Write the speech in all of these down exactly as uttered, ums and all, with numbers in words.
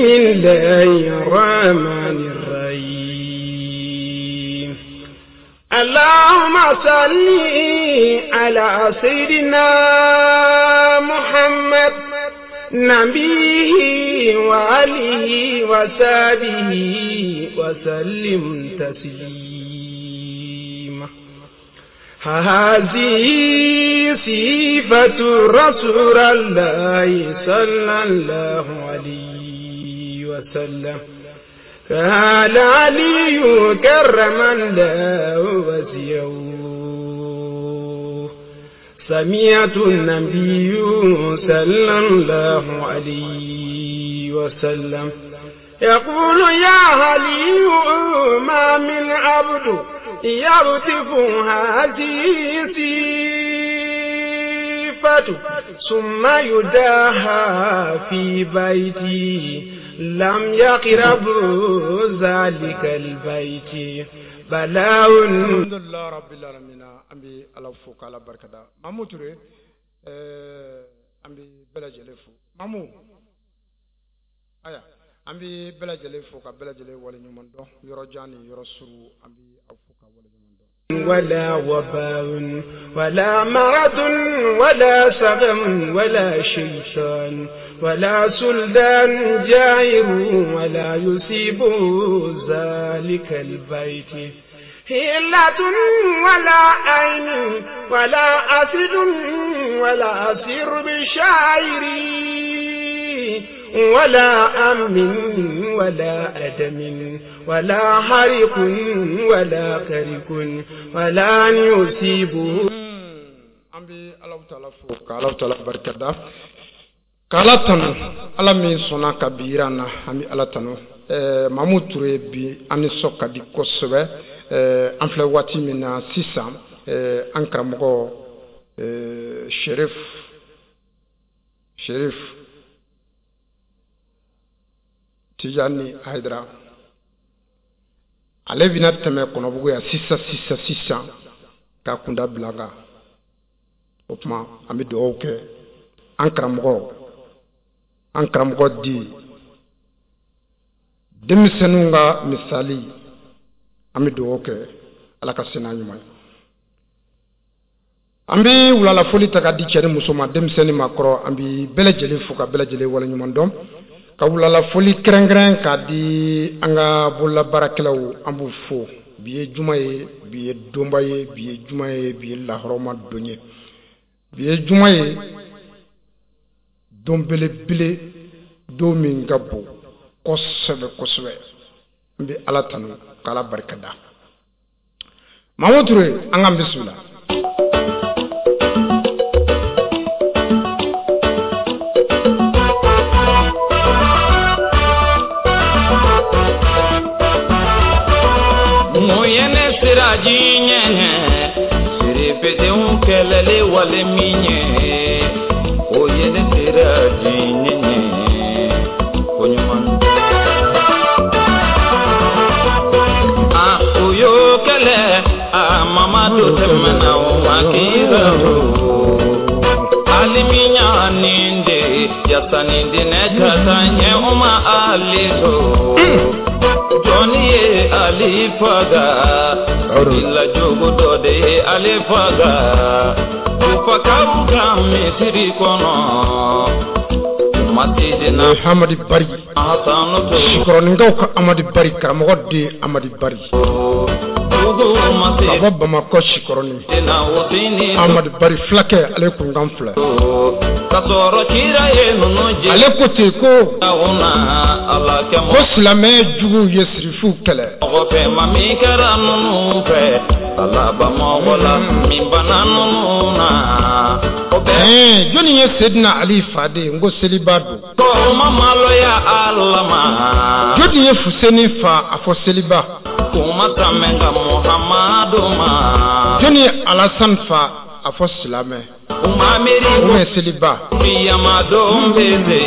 الله الرحمن الرحيم. اللهم صل على سيدنا محمد نبيه وآله وصحبه وسلم تسليما. هذه صفة رسول الله صلى الله عليه وسلم. قال علي كرم الله وجهه. سمعت النبي صلى الله عليه وسلم يقول يا علي ما من عبد يرتف هذه صفة ثم يداها في بيتي لم يقرب ذلك البيت بلاء. الحمد لله رب العالمين. An bɛ Ala fo k'Ala barikada. Mamu Ture, ɛɛ an bɛ bɛɛ lajɛlen fo. Mamu, aya, an bɛ bɛɛ lajɛlen fo ka bɛɛ lajɛlen waleɲuman dɔn yɔrɔ jan ni yɔrɔ surun, an bɛ aw fo ka waleɲuman dɔn. ولا وباء ولا مرض ولا سقم ولا شيطان ولا سلطان جائر ولا يصيب ذلك البيت هلة ولا عين ولا أسد ولا أسير بشاعر ولا أم ولا أدم ولا حريق ولا كرك ولا يصيب. An bɛ Alahu taala fo ka Alahu taala barikada k'Ala tanu, Ala min sɔnna ka bi yira an na, an bɛ Ala tanu. Ɛɛ Mamu Ture, bi an nisɔn ka di kosɛbɛ. Ɛɛ an filɛ waati min na sisan, ɛɛ an karamɔgɔ ɛɛ Cherif Cherif Tijani Hayidara, ale bɛna tɛmɛ Kɔnɔbugu yan sisan sisan sisan k'a kunda bila kan. O tuma an bɛ dugawu kɛ an karamɔgɔ an karamɔgɔ di denmisɛnninw ka misali, an bɛ dugawu kɛ Ala ka se n'a ɲuman ye. An bɛ wulalafoli ta ka di cɛ ni muso ma, denmisɛnnin ma kɔrɔ, an bɛ bɛɛ lajɛlen fo ka bɛɛ lajɛlen waleɲuman dɔn, ka wulalafoli kɛrɛnkɛrɛn k'a di an ka bololabaarakɛlaw, an b'u fo. Bi ye juma ye, bi ye donba ye, bi ye juma ye, bi ye lahɔrɔma don ye, bi ye juma ye, don belebele, don min ka bon kosɛbɛ kosɛbɛ. N bɛ Ala tanu k'Ala barika da. Mamu Ture, an k'an bisimila. Mun ye ne siraji ɲɛ sirifedenw kɛlɛli wale min ye, o ye ne siraji ɲɛ ko ɲuman. A o y'o kɛlɛ, a Mamadu tɛmɛna o ma kira o. Alimiya nin de yasa ni dinɛ ka taa ɲɛ o ma ale to. Jɔnni ye ale faga, ila jogo dɔ de ye ale faga. Tufakaw ka misiri kɔnɔ, Masidina Amadi Bari, Hasanu to. Sikɔrɔninkaw ka Amadi Bari, karamɔgɔ den Amadi Bari, Dugu ka bɔ Bamakɔ Sikɔrɔni. Masidina Husini Amadi Bari fulakɛ, ale kunkan filɛ. Ka sɔrɔ kira ye ninnu jɛ. Ale ko ten ko na Ala kɛ ko silamɛ juguw ye sirifuw kɛlɛ. Mɔgɔ fɛ ma min kɛra ninnu fɛ, Ala ba mɔgɔ la min banna ninnu na. O bɛɛ Ɛɛ jɔnni ye Sedina Ali fa de ye? N ko seliba don. Ko ma maloya Ala ma. Jɔnni ye Fuseni fa? A fɔ seliba. Kuma tɛmɛ ka Muhamadu ma. Jɔnni ye Alasan fa? A fɔ silamɛ. U ma miiri O ye seliba. Kiyama don bɛ se.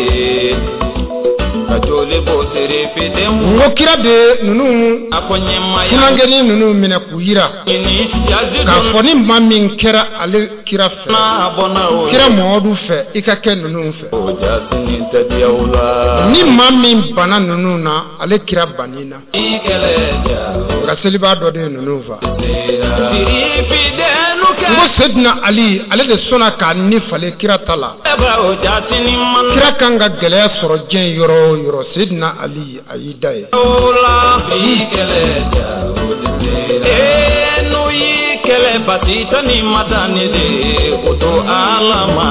Ka joli bɔ serifidenw. N ko kira de ninnu A ko ɲɛmaaya. funankɛnin ninnu minɛ k'u yira Ɲini yazidu. k'a fɔ ni maa min kɛra ale kira fɛ, N'a bɔnna o. kira Mamadu fɛ, i ka kɛ ninnu fɛ. O jasini tɛ diya o la. Ni maa min banna ninnu na, ale kira banni na. I kɛlɛ ja. Nka selibaa dɔ de ye ninnu fa. Sirifidenu N ko kɛ. Sedina Ali, ale de sɔnna k'a ni falen kira ta la. O jasini man. Kira kan ka gɛlɛya sɔrɔ diɲɛ yɔrɔ o yɔrɔ, Sedina Ali a y'i da ye. O la. I kɛlɛ ja o tɛ se la. Ee n'u y'i kɛlɛ basi tɛ ni madani de o to Ala ma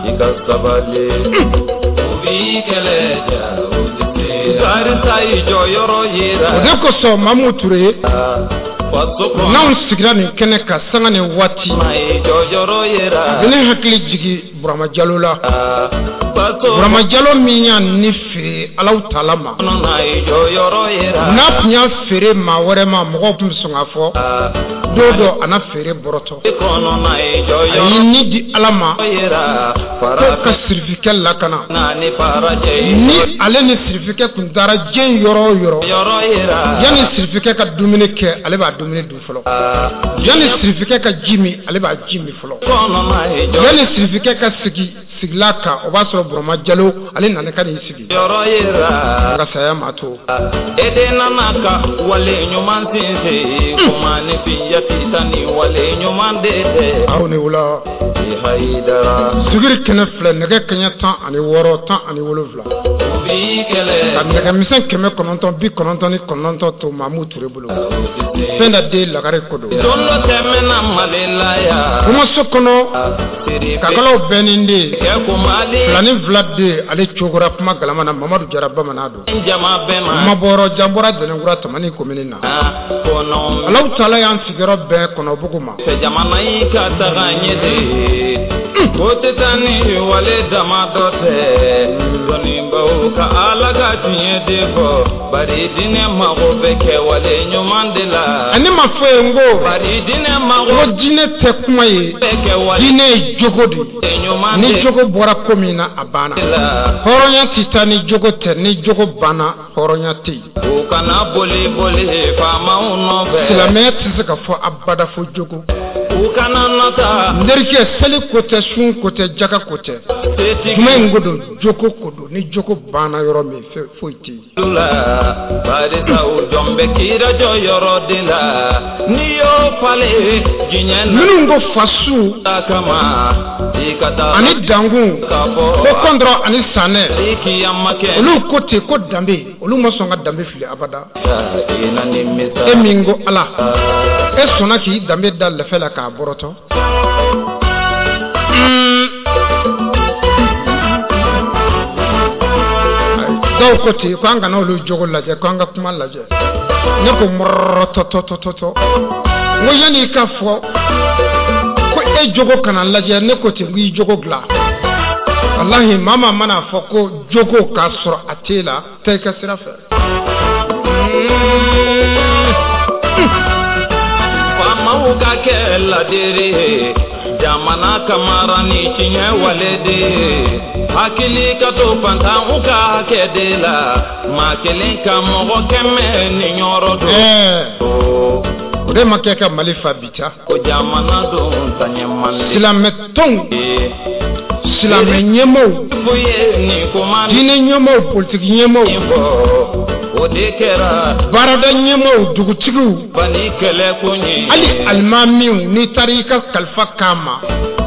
i ka sabali. U b'i kɛlɛ ja o tɛ se la. Karisa i jɔyɔrɔ yira. O de kosɔn Mamu Ture, Faso kɔnɔ. n'anw sigira nin kɛnɛ kan sanga ni waati, Ma i jɔyɔrɔ yira. a bɛ ne hakili jigin Burama Jalo la. Faso Burama Jalo min y'a ni feere Alahu Taala ma. kɔnɔ na i jɔyɔrɔ yira. N'a tun y'a feere maa wɛrɛ ma, mɔgɔw tun bɛ sɔn k'a fɔ don dɔ a na feere bɔrɔtɔ. Kɔnɔ na i A jɔyɔrɔ y'i ni di Ala ma yira. ko ka sirifikɛ lakana. Farafinna ni farajɛ i Ni ale ni sirifikɛ tun taara diɲɛ yɔrɔ o yɔrɔ, jɔyɔrɔ yira. yanni sirifikɛ ka dumuni kɛ, ale b'a dumuni dun fɔlɔ. Yanni sirifikɛ ka ji min, ale b'a ji min fɔlɔ. Kɔnɔ na i Yanni sirifikɛ ka sigi sigila kan, o b'a sɔrɔ Burama Jalo ale nana ka n'i sigi. jɔyɔrɔ yira. Nka saya ma to. E de nana ka wale ɲuman sinsin. Kuma ni fiya tita ni wale ɲuman de tɛ. Aw ni wula. I hayidara. Sigiri kɛnɛ filɛ, nɛgɛ kaɲɛ tan ani wɔɔrɔ, tan ani wolonwula. U b'i kɛlɛ. Ka nɛgɛmisɛn kɛmɛ kɔnɔntɔn bi kɔnɔntɔn ni kɔnɔntɔn to Mamu Ture bolo. O tɛ se. Fɛn da den lagare ko don. Don dɔ tɛmɛna Mali la yan. Kumaso kɔnɔ, Sirife kakalaw bɛɛ ni den. kɛ ko Mali. Filani fila den, ale cogora kuma galama na, Mamadu Jara bamanan don. Jama bɛɛ ma. Mabɔrɔ janbɔra Jɛnɛkura Tamani komini na. Kɔnɔ Alahu Taala y'an sigiyɔrɔ bɛɛ Kɔnɔbugu ma. fɛ jamana in ka taga ɲɛ de. Ko tɛ taa ni wale dama dɔ tɛ. Dɔnnibaw ka Ala ka tiɲɛ de fɔ. Bari diinɛ mago bɛ kɛwale ɲuman de la. Ani ma fɔ ye n ko Bari diinɛ n mago ko diinɛ tɛ kuma ye, bɛ kɛwale diinɛ ye jogo de ye. ɲuman Ni de jogo bɔra ko min na, a banna. la. Hɔrɔnya tɛ taa ni jogo tɛ, ni jogo banna, hɔrɔnya tɛ yen. U kana boli boli faamaw nɔfɛ. Silamɛya tɛ se ka fɔ abada fo jogo. U kana nata N terikɛ, seli ko tɛ, sun ko tɛ, jaka ko tɛ. setigi Jumɛn in ko don, jogo ko don. Ni jogo banna yɔrɔ min, fɛn foyi tɛ yen. la. Barisa u jɔn bɛ kira jɔyɔrɔ de la. N'i y'o falen diɲɛ na. Minnu ko fasu kama i ka taa ani dankun, ka ko fɔ kɔndɔrɔ ani sanɛ, i kiyama kɛ olu ko ten ko danbe, olu ma sɔn ka danbe fili abada. I na nimisa. E min ko Ala, e sɔnna k'i danbe da lɛfɛ la k'a bɔrɔtɔ. Dɔw ko ten ko an kana olu jogo lajɛ, ko an ka kuma lajɛ. Ne ko mɔrɔtɔtɔtɔtɔ, n ko yanni i ka fɔ ko e jogo kana lajɛ, ne ko ten ko i jogo dilan. Walahi, maa maa mana fɔ ko jogo k'a sɔrɔ a t'e la, taa i ka sira fɛ. Faamaw ka kɛ ladiri ye jamana kamara ni tiɲɛ wale de ye hakili ka to fantanw ka hakɛ de la maa kelen ka mɔgɔ kɛmɛ ni yɔrɔ don. Ɛɛ, o de ma kɛ ka Mali fa bi ca. Ko jamana don taɲɛ mali. Silamɛ tɔnw, silamɛ ɲɛmaaw, Fo ye nin kuma diinɛ ɲɛmaaw, politiki ɲɛmaaw, nin fɔ o de kɛra baarada ɲɛmaaw, dugutigiw, bani kɛlɛ kun ye. hali alimamiw, n'i taara i ka kalifa k'a ma,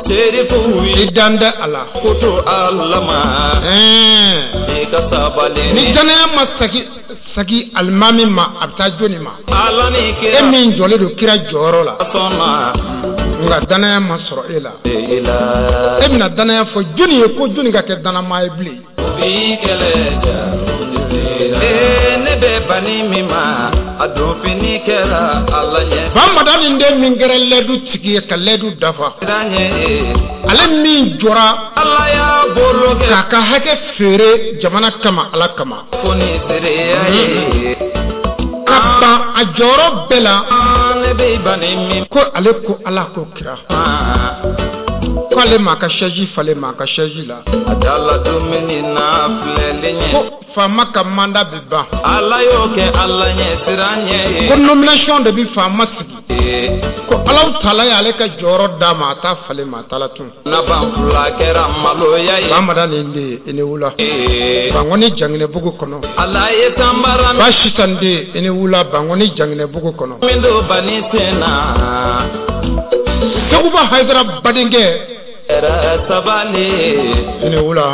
Serifuw i ye dan tɛ a la. ko to Ala ma Ɛɛ, i ka sabali ni danaya ma sagi sagi alimami ma, a bɛ taa jɔni ma? Ala ni E kira min jɔlen don kira jɔyɔrɔ la, sɔnna nka danaya ma sɔrɔ e la. i la. E bɛna danaya fɔ jɔni ye ko jɔni ka kɛ danamaa ye bilen? Bi kɛlɛ ja ee ne bɛ bani min ma a don fini kɛra Ala ɲɛ Bamada nin den min kɛra lɛdu tigi ye ka lɛdu dafa, siran ɲɛ ale min jɔra Ala y'a bolo kɛ k'a ka hakɛ feere jamana kama, Ala kama, ko ni seereya ye ka ban a jɔyɔrɔ bɛɛ la, ne bɛ bani min ko ale ko Ala ko kira. ma K'ale ma ka chaise falen ma ka chaise la. A dala dumuni na filɛli ɲɛ. Ko faama ka mandat bɛ ban. Ala y'o kɛ Ala ɲɛ siran ɲɛ ye. Ko nomination de bɛ faama sigi. Ko Alahu taala y'ale ka jɔyɔrɔ d'a ma, a t'a falen ma, a t'a la tun. Naban fila kɛra maloya ye. Bamada ni den i ni wula. Bangɔni Janginɛbugu kɔnɔ. Ala ye sanbara. Basitan den i ni wula Bangɔni Janginɛbugu kɔnɔ. Min don bani sen na. Seguba Hayidara badenkɛ. Sabali. I ni wula.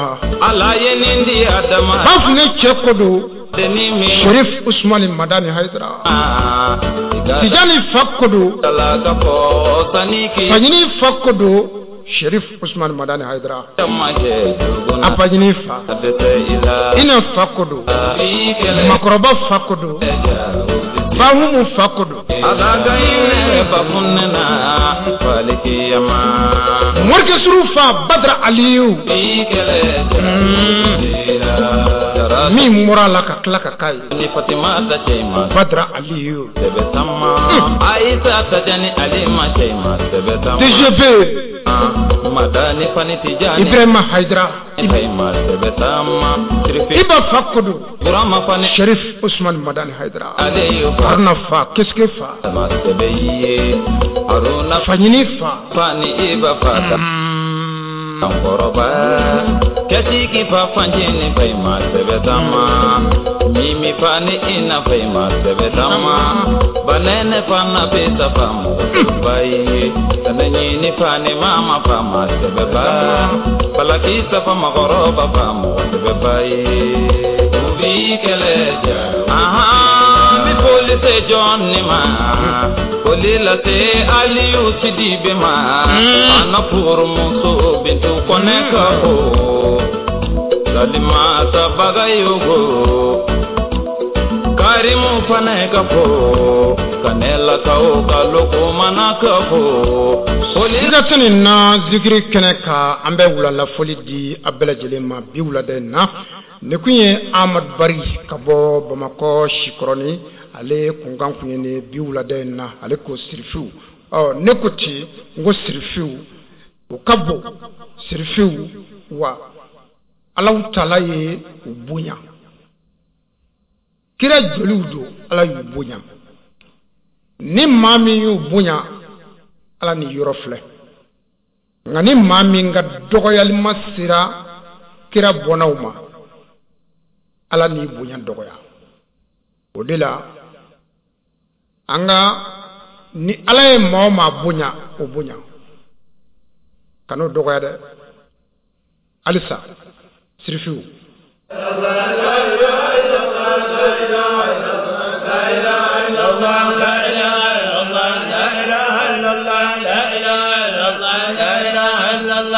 Ala ye nin di Adama. Bafunɛ cɛ ko don. Sherif Usmani Madani Hayidara. Tijani fa ko don. Faɲini fa ko don. Sherif Usmani Madani Hayidara. Apaɲini fa. Ina fa ko don. Makɔrɔba fa ko don. Bahumu fa ko don. Morikɛsuru fa Badara Aliyu. Min bɔra la ka tila ka k'a ye. Badara Aliyu. D G B. Ibrahima Hayidara. Iba fa ko don. Sherif Usmani Madani Hayidara. Haruna fa Keske fa. Faɲini fa. Kɛtigi fa fanjini fa ma sɛbɛtama mimi fa ni ina fa ma sɛbɛtama banɛnɛ fa na bɛ safa mɔgɔ ye sɛnɛɲini fa ni mama fa ma sɛbɛba balaki safa mɔgɔkɔrɔba fa mɔgɔ sɛbɛba ye u b'i kɛlɛ ja ahan bi foli se jɔn ne ma foli lase Aliyu Sidibe ma ana furumuso Bintu Kɔnɛ ka ko Salimata Bagayogo Karimu fana ka fo Kanelakaw ka Lokomana ka fo. Siga tɛ nin na zikiri kɛnɛ kan, an bɛ wulalafoli di a bɛɛ lajɛlen ma bi wulada in na. Nin kun ye Amadu Bari ka bɔ Bamakɔ Sikɔrɔni, ale kunkan kun ye nin bi wulada in na. Ale ko sirifiw, ɔ ne ko ten, n ko sirifiw u ka bon, sirifiw wa Alahu taala ye u bonya, kira joliw don, Ala y'u bonya. Ni maa min y'u bonya, Ala ni yɔrɔ filɛ. Nka ni maa min ka dɔgɔyalima sera kira bɔnnaw ma, Ala n'i bonya dɔgɔya. O de la an ka ni Ala ye maa o maa bonya, o bonya, kan'o dɔgɔya dɛ. Halisa sirifiw.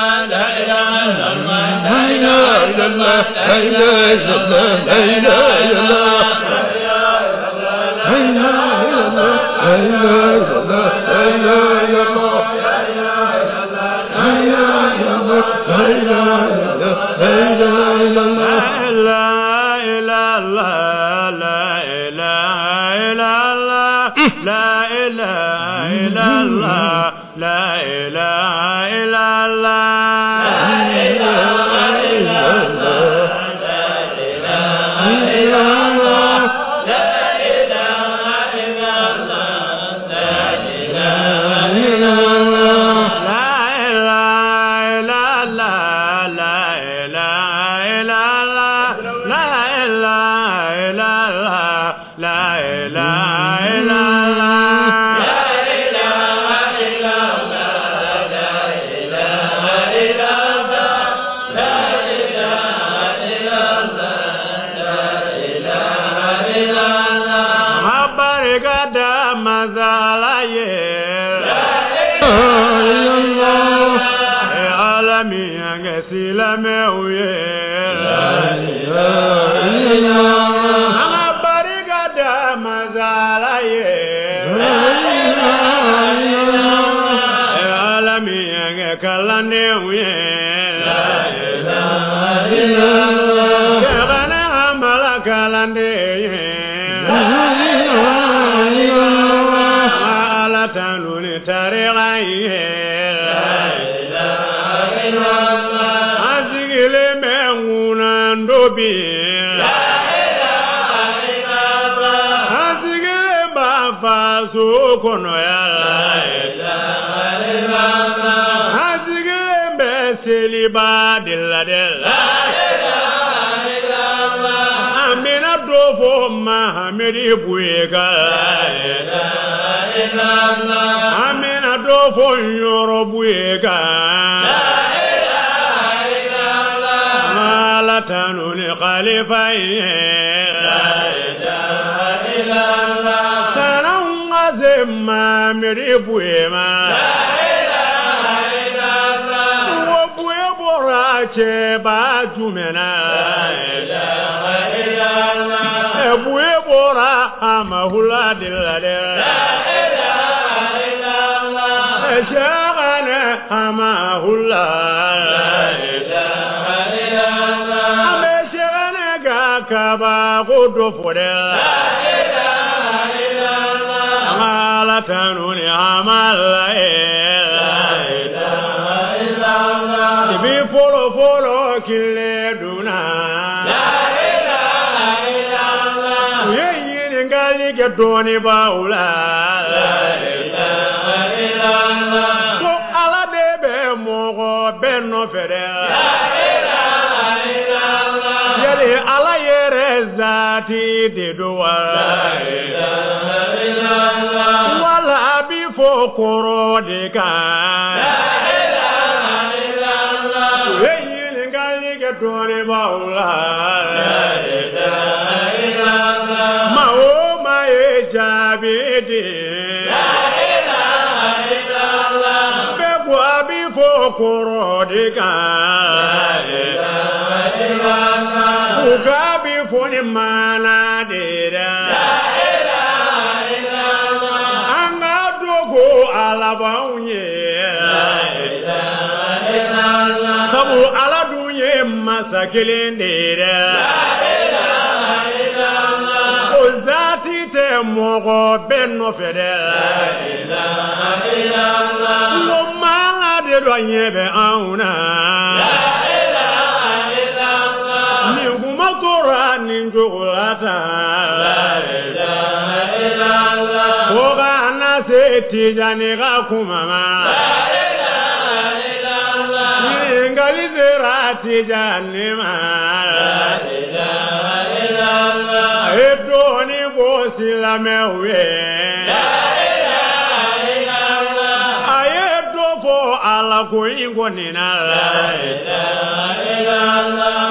Ala tanu ni tariqa ye. An sigilen bɛ ŋunandobi. An sigilen b'a faso kɔnɔ yan. An sigilen bɛ seliba de la dɛ. An bɛna dɔ fɔ Mahamedi Buye kan. An bɛna dɔ fɔ Ɲɔrɔ Buye kan. Ala tanu ni khalifa ye. Salam ka se Mahamedi Buye ma. Wo Buye bɔra cɛba jumɛn na? Buye bɔra Amahula de la dɛ. Sɛgɛnɛ Amahula. An bɛ sɛgɛnɛ ka kabako dɔ fɔ dɛ. An ka Ala tanu ni Amala ye. Depi fɔlɔ fɔlɔ tile donna. U ye ɲininkali kɛ dɔnnibaaw la. Ko Ala de bɛ mɔgɔ bɛɛ nɔfɛ dɛ. Yali Ala yɛrɛ zaati de don wa? Wala a bi fɔ kɔrɔ de kan. U ye ɲininkali kɛ dɔnnibaaw la. Maa o maa ye jaabi di. Bɛɛ ko a bi fɔ kɔrɔ de kan. U k'a bi fɔ ni maana de la. An ka dogo Ala b'anw ye. Sabu Ala dun ye masa kelen de ye dɛ. O zaati tɛ mɔgɔ bɛɛ nɔfɛ dɛ. N ko maa de dɔ ɲɛ bɛ anw na. Nin kuma tora nin cogo la tan. Ko ka na se Tijani ka kuma ma. Ɲininkali sera Tijani ma. A ye dɔɔnin fɔ silamɛw ye. A ye dɔ fɔ Ala ko in kɔni na.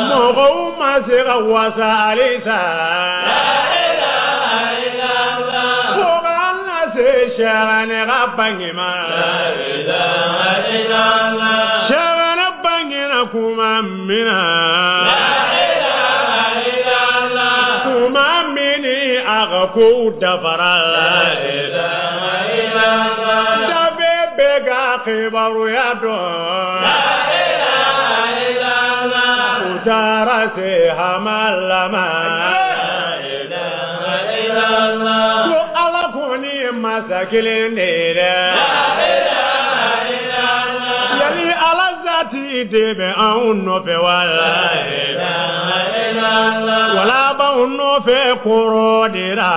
Mɔgɔw ma se ka wasa halisa. Fo ka na se Sɛgɛnɛ ka bange ma. Sɛgɛnɛ bangena kuma min na. Kuma min ni a ka kow dafara. Dafe bɛɛ ka kibaruya dɔn. U taara se Hamala ma. Ko Ala kɔni ye masa kelen de ye dɛ. Yali Ala zaati de bɛ anw nɔfɛ wa? Wala b'anw nɔfɛ kɔrɔ de la.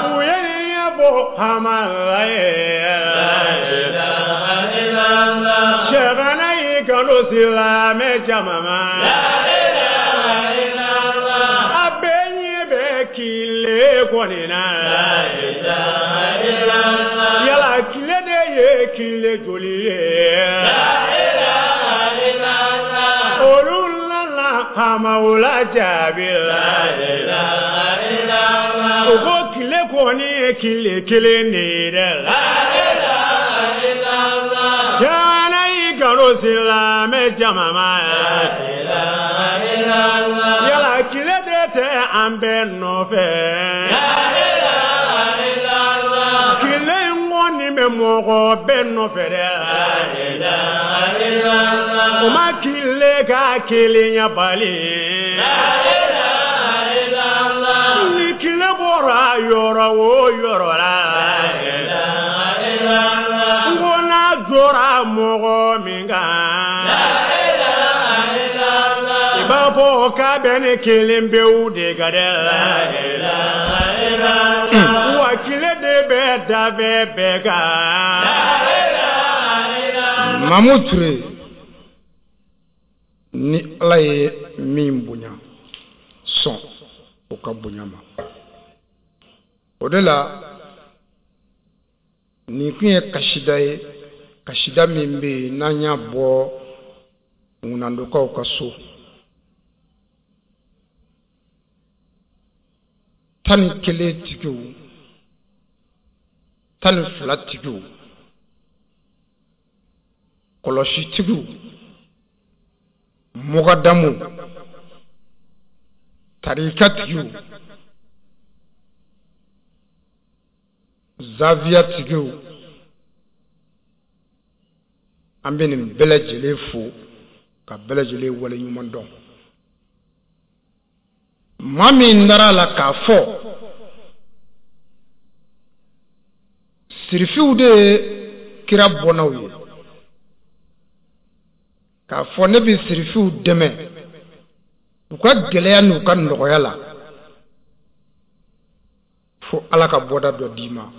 U ye ɲɛ bɔ Hamala ye. Sɛgɛnɛ y'i kanu silamɛ jama ma. A bɛɛ ɲɛ bɛ tile kɔni na. Yala tile de ye tile joli ye? Olu nana Hamawula jaabi la. U ko tile kɔni ye tile kelen de ye dɛ. Jana y'i kanu silamɛ jama ma. Yala tile de tɛ an bɛɛ nɔfɛ. Tile in kɔni bɛ mɔgɔ bɛɛ nɔfɛ dɛ. O ma tile ka kelenya bali. Ni tile bɔra yɔrɔ o yɔrɔ la. N ko n'a tora mɔgɔ min kan, i b'a fɔ k'a bɛ ne kelen pewu de kan dɛ. Wa tile de bɛ da bɛɛ kan. Mamu Ture, ni Ala ye min bonya, sɔn o ka bonya ma. O de la nin kun ye kasida ye, kasida min bɛ yen n'an y'a bɔ ŋunandokaw ka so. Tan ni kelen tigiw, tan ni fila tigiw, kɔlɔsitigiw, mugadamu, tarikatigiw, zaviyatigiw, an bɛ nin bɛɛ lajɛlen fo ka bɛɛ lajɛlen waleɲuman dɔn. Maa min dara a la k'a fɔ sirifiw de ye kira bɔnnaw ye, k'a fɔ ne bɛ sirifiw dɛmɛ u ka gɛlɛya n'u ka nɔgɔya la fo Ala ka bɔda dɔ d'i ma.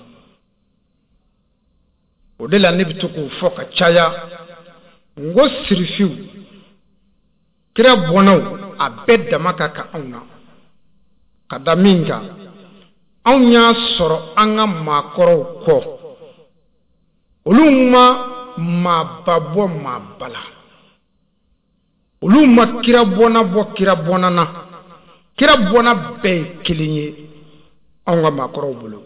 O de la ne bɛ to k'o fɔ ka caya, n ko sirifiw kira bɔnnaw a bɛɛ dama ka kan anw na, ka da min kan anw y'a sɔrɔ an ka maakɔrɔw kɔ, olu ma maaba bɔ maaba la, olu ma kira bɔnna bɔ kira bɔnna na, kira bɔnna bɛɛ ye kelen ye anw ka maakɔrɔw bolo.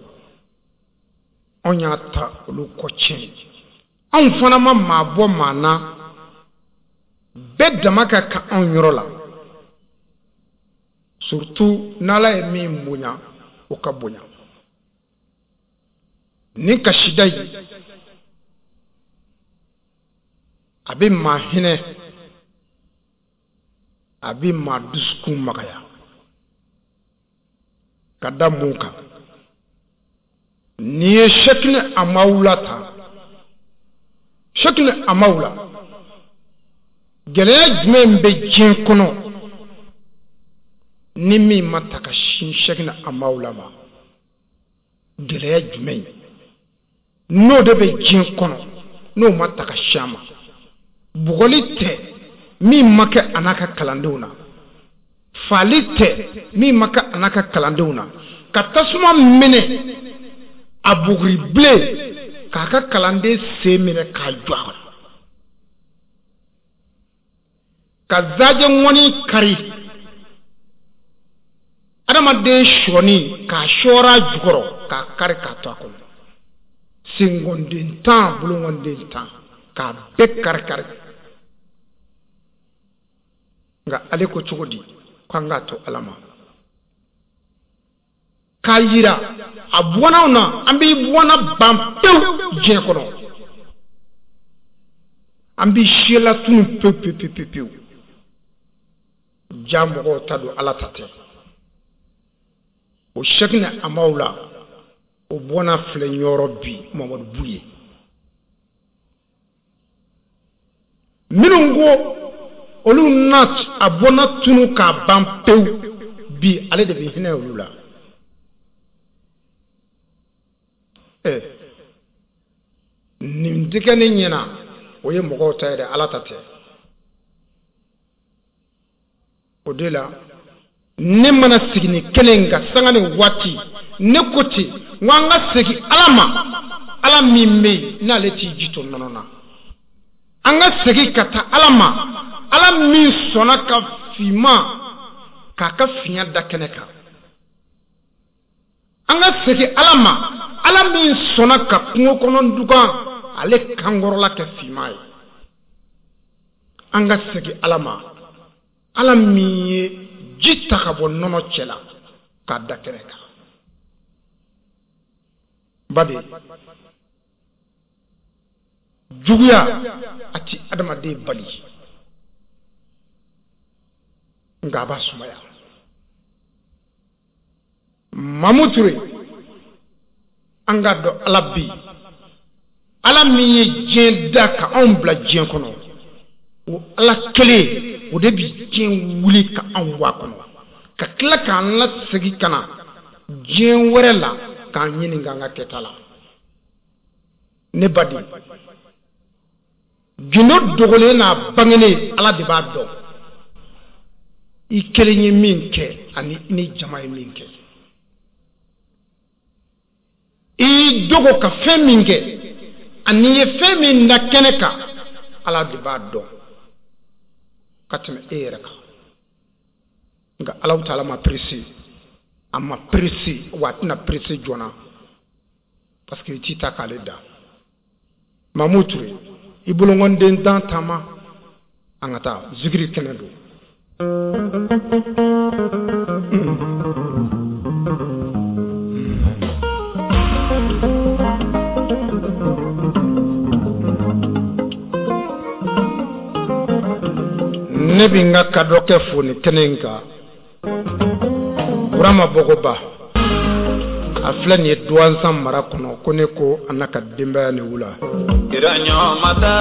Anw y'a ta olu kɔ tiɲɛ, anw fana ma maa bɔ maa na, bɛɛ dama ka kan anw yɔrɔ la, surtout n'Ala ye min bonya o ka bonya. Nin kasida in a bɛ maa hinɛ, a bɛ maa dusukun magaya. Ka da mun kan? N'i ye Sɛkini Amawula ta, Sɛkini Amawula, gɛlɛya jumɛn bɛ diɲɛ kɔnɔ ni min ma ta ka sin Sɛkini Amawula ma? Gɛlɛya jumɛn n'o de bɛ diɲɛ kɔnɔ n'o ma ta ka sin a ma? Bugɔli tɛ min ma kɛ a n'a ka kalandenw na, faali tɛ min ma kɛ a n'a ka kalandenw na, ka tasuma minɛ a buguri bilen k'a ka kalanden sen minɛ k'a jɔ a kɔnɔ, ka zajɛ ŋɔni kari adamaden sɔɔni k'a sɔɔr'a jukɔrɔ k'a kari k'a to a kɔnɔ, senkɔnden tan bolonkɔnden tan k'a bɛɛ kari kari. Nka ale ko cogo di k'an k'a to Ala ma? K'a yira a bɔnnaw na, an b'i bɔnna ban pewu diɲɛ kɔnɔ, an b'i siyalatunu pewu pewu pewu pewu. Ja mɔgɔw ta don, Ala ta tɛ. O Sɛkini Amawula o bɔnna filɛ yɔrɔ bi Mamadu Buye. Minnu ko olu na a bɔnna tunu k'a ban pewu bi, ale de bɛ hinɛ olu la. Ɛ nin tɛ kɛ ne ɲɛna, o ye mɔgɔw ta ye dɛ, Ala ta tɛ. O de la ne mana sigi nin kɛnɛ in kan sanga ni waati, ne ko ten n ko an ka segin Ala ma, Ala min bɛ yen n'ale t'i ji to nɔnɔ na. An ka segin ka taa Ala ma, Ala min sɔnna ka finman k'a ka fiɲɛ da kɛnɛ kan. An ka segin Ala ma, Ala min sɔnna ka kungo kɔnɔ dugan ale kankɔrɔla kɛ finman ye. An ka segin Ala ma, Ala min ye ji ta ka bɔ nɔnɔ cɛ la k'a da kɛnɛ kan. Baden, juguya a ti adamaden bali, nka a b'a sumaya. Mamu Ture, an k'a dɔn Ala bɛ yen, Ala min ye diɲɛ da ka anw bila diɲɛ kɔnɔ, o Ala kelen o de bi diɲɛ wuli ka anw bɔ a kɔnɔ, ka tila k'an lasegin ka na diɲɛ wɛrɛ la k'an ɲininka an ka kɛta la. Ne baden, gindo dogolen n'a bangenen Ala de b'a dɔn. I kelen ye min kɛ ani i ni jama ye min kɛ. I y'i dogo ka fɛn min kɛ ani i ye fɛn min da kɛnɛ kan, Ala de b'a dɔn ka tɛmɛ e yɛrɛ kan. Nka Alahu taala ma pressé, a ma pressé, wa a tɛna pressé joona parce que i t'i ta k'ale da. Mamu Ture, i bolonkɔnden dan taama, an ka taa zikiri kɛnɛ don. Ne bɛ n ka kadɔkɛ fo nin kɛnɛ in kan, Burama Bɔgɔba, a filɛ nin ye Duwanzan mara kɔnɔ, ko ne ko a n'a ka denbaya ni wula. Kira ɲɔgɔn ma da,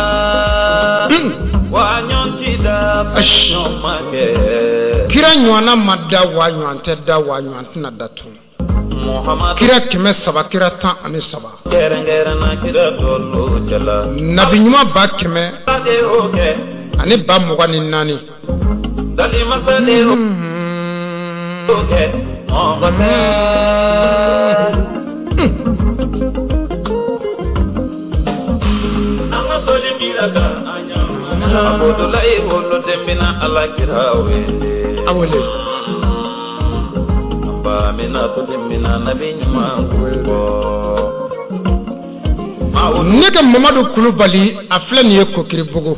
wa ɲɔgɔn ti da, ɲɔgɔn ma kɛ. Kira ɲɔgɔnna ma da, wa ɲɔgɔn tɛ da, wa ɲɔgɔn tɛna da tun. Kira kɛmɛ saba, kira tan ani saba. Kɛrɛnkɛrɛnna kira tɔlu cɛla. Nabi ɲuman ba kɛmɛ ani ba mugan ni naani. Dali masa de o kɛ mɔgɔ tɛ. An ka sɔli kira kan an ɲamana. Abudulayi wolo den bɛna Ala kira wele. A wele. Ba mina to den bɛna nabi ɲuman ko. Ne ka Mamadu Kulubali, a filɛ nin ye Kokiribugu.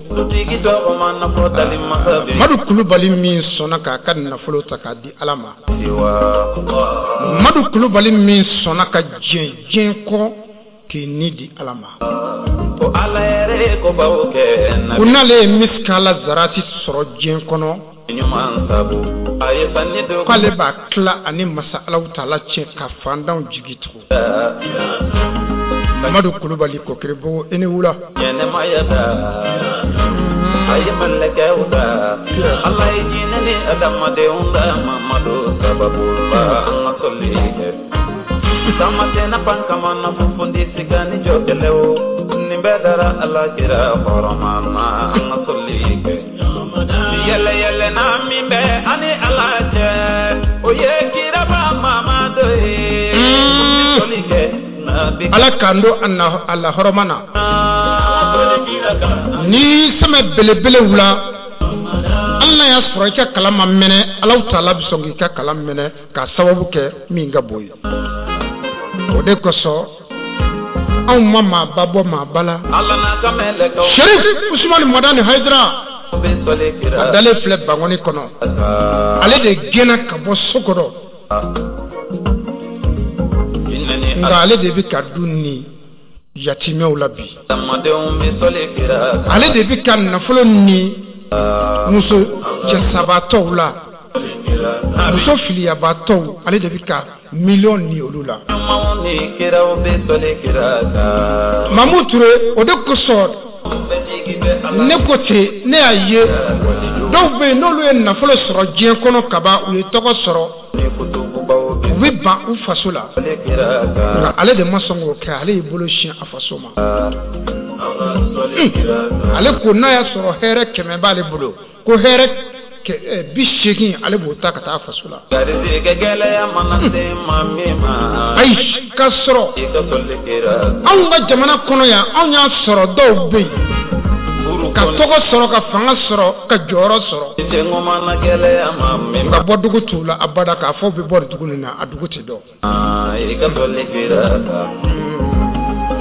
Mamadu Kulubali min sɔnna k'a ka nafolo ta k'a di Ala ma. Mamadu Kulubali min sɔnna ka diɲɛ diɲɛ kɔ k'i ni di Ala ma. Ko n'ale ye misikala zarati sɔrɔ diɲɛ kɔnɔ, k'ale b'a tila ani masa Alahu taala cɛ ka fandanw jigi tugu. Mamadu Kulubali Kokiribugu, i ni wula. Ɲɛnɛmaya da, a ye mɛlɛkɛw da, Ala ye jinɛ ni adamadenw da, Mamadu sababu la an ka sɔli kɛ. Tamasena pan kama na funfundi siga ni jɔ kɛlɛw, nin bɛɛ dara Ala kira hɔrɔma na an ka sɔli kɛ. Yɛlɛ yɛlɛ na min bɛ ani Ala cɛ, o ye kiraba Mamadu ye. Sɔli kɛ. Ala k'an don a la hɔrɔma na. Ni sɛmɛ belebele wula, hali n'a y'a sɔrɔ i ka kalan ma mɛnɛ, Alahu taala bɛ sɔn k'i ka kalan mɛnɛ k'a sababu kɛ min ka bon ye. O de kosɔn anw ma maaba bɔ maaba la. Serif Usumani Madani Hayidara, a dalen filɛ Bankɔni kɔnɔ, ale de gɛnna ka bɔ so kɔnɔ. Nka ale de bɛ ka du ni yatimɛw la bi. Ale de bɛ ka nafolo ni muso cɛsabaatɔw la, muso filiyabaatɔw, ale de bɛ ka miliyɔn ni olu la. Mamu Ture, o de kosɔn ne ko ten, ne y'a ye dɔw bɛ yen n'olu ye nafolo sɔrɔ diɲɛ kɔnɔ kaban, u ye tɔgɔ sɔrɔ, u bɛ ban u faso la. Nka ale de ma sɔn k'o kɛ, ale y'i bolo sin a faso ma. Ale ko n'a y'a sɔrɔ hɛrɛ kɛmɛ b'ale bolo, ko hɛrɛ bi seegin ale b'o ta ka taa faso la. Ayi, k'a sɔrɔ anw ka jamana kɔnɔ yan, anw y'a sɔrɔ dɔw bɛ yen ka tɔgɔ sɔrɔ, ka fanga sɔrɔ, ka jɔyɔrɔ sɔrɔ, ka bɔ dugu t'u la abada, k'a fɔ bɛ bɔ dugu nin na, a dugu tɛ dɔn.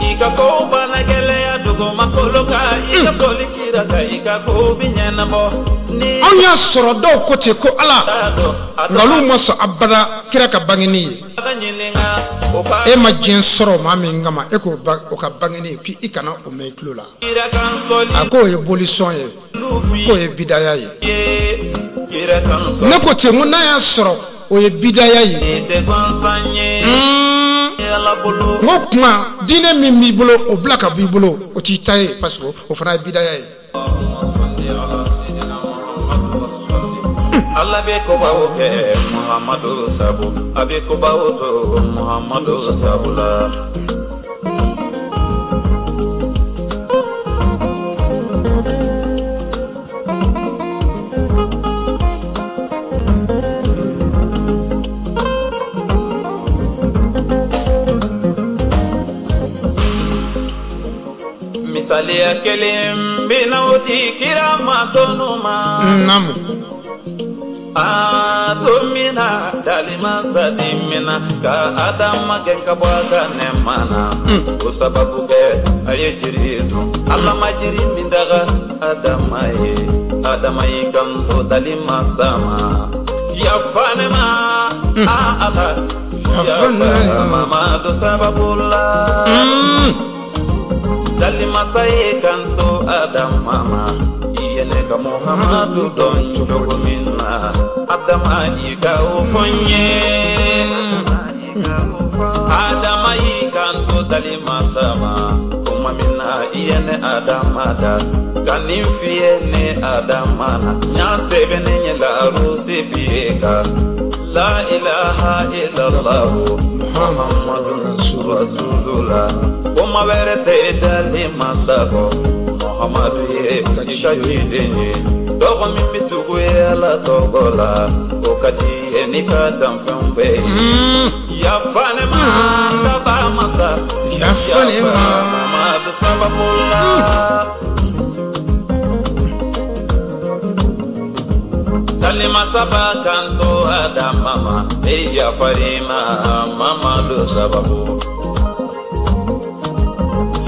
I ka ko bana gɛlɛya dugumakolo kan, i ka sɔli kira kan, i ka ko bi ɲɛnabɔ. Anw y'a sɔrɔ dɔw ko ten ko Ala, nka olu ma sɔn abada kira ka bangeni ye. E ma diɲɛ sɔrɔ maa min kama, e k'o o ka bangeni ye, k'i kana o mɛn i tulo la. A k'o ye bolisɔn ye, k'o ye bidaya ye. Ne ko ten, ko n'a y'a sɔrɔ o ye bidaya ye. Ala bolo. N ko kuma diinɛ min b'i bolo o bila ka b'i bolo o t'i ta ye parce que o fana ye bidaya ye. Ala bɛ kobaw kɛ Muhamadu sabu, a bɛ kobaw to Muhamadu sabu la. Misaliya kelen bɛ na o di kira ma tɔnu ma. Naamu. A don min na dalima sadi min na ka Adama gɛn ka bɔ a ka nɛɛma na. O sababu kɛ a ye jiri dun. Ala ma jiri min daga Adama ye. Adama y'i kanto dalima sa ma. Yafa ne ma a Ala. Yafa Mamadu sababu la. Dalimasa ye kanto Adama ma. I ye ne ka Muhamadu dɔn cogo min na, Adama y'i ka o fɔ n ye. Adama y'i kanto dalimasa ma. Tuma min na i ye ne Adama da, ka nin f'i ye ne Adama na. N y'a sɛbɛn ne ɲɛ larusi f'i kan. La ilaha illallah Muhammadun Rasulullah. Kuma wɛrɛ tɛ dalimasa kɔ. Muhammadu ye i ka ciden ye. Tɔgɔ min bɛ tugu Ala tɔgɔ la, o ka di ye n'i ka danfɛnw bɛɛ ye. Yafa ne ma daba masa, Yafa ne ma Mamadu sababu la. Dalimasa b'a kanto Adama ma, e yafar'i ma Mamadu sababu.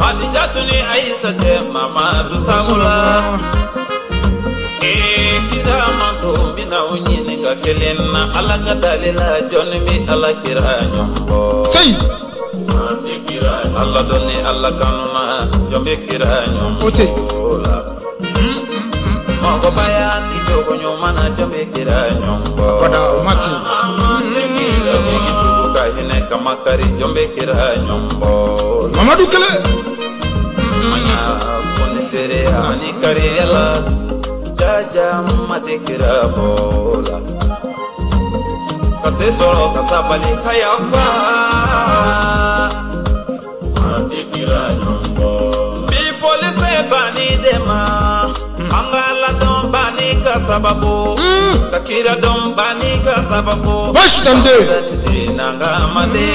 Hadijatu ni Aïssa cɛ Mamadu sabu la. Ee kira manto n bɛna o ɲininka kelen na, Ala ka dalila jɔnni bɛ Ala kira ɲɔgɔn bɔ. Seyi. Ala dɔn ni Ala kanu na, jɔn bɛ kira ɲɔgɔn O tɛ. bɔ la. Mɔgɔbaya ni jogo ɲuman na, jɔn bɛ kira ɲɔgɔn bɔ. Bada o ma ten. Jigi tugu ka hinɛ ka makari, jɔn bɛ kira ɲɔgɔn bɔ. Mamadu kelen. Manya kɔni seere ani kariyala, jaja ma tɛ kira bɔ la. Ka se sɔrɔ ka sabali ka yafa. Ma tɛ kira ɲɔgɔn bɔ. Bi foli fɛ banni de ma, an ka ladɔn banni ka sababu. Ka kira dɔn banni ka sababu. Baasi tɛ n den. Nangamade.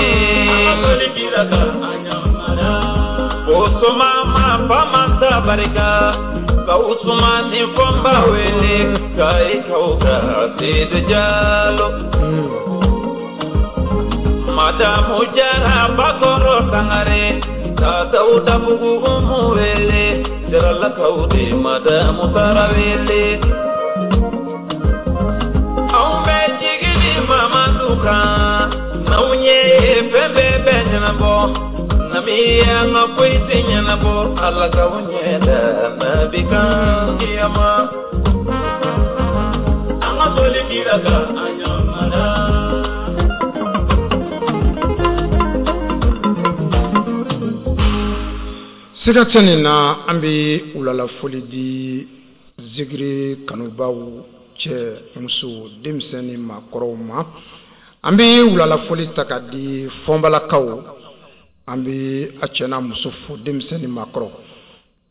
An ka soli kira kan an ɲamana. Osoma ma fama tabarika, ka Usumani fɔnba wele, ka i kaw ka Seydou Diallo. Madamu Jara Bakɔrɔ Sangare, ka Dawuda Bugu Umu wele, Jaralakaw de Madamu Tarawele. Anw bɛ jigi di Mamadu kan, n'anw ye fɛn bɛɛ bɛ ɲɛnabɔ. Nami an ka foyi tɛ ɲɛnabɔ, Ala k'aw ɲɛ da nabi kan kiyama. An ka soli kira kan an ɲamana. Siga tɛ nin na, an bɛ wulalafoli di zikiri kanubaw cɛ muso denmisɛnnin maakɔrɔw ma. An bɛ wulalafoli ta ka di fɔnbalakaw. An bɛ a cɛ n'a muso fo denmisɛnnin maakɔrɔ.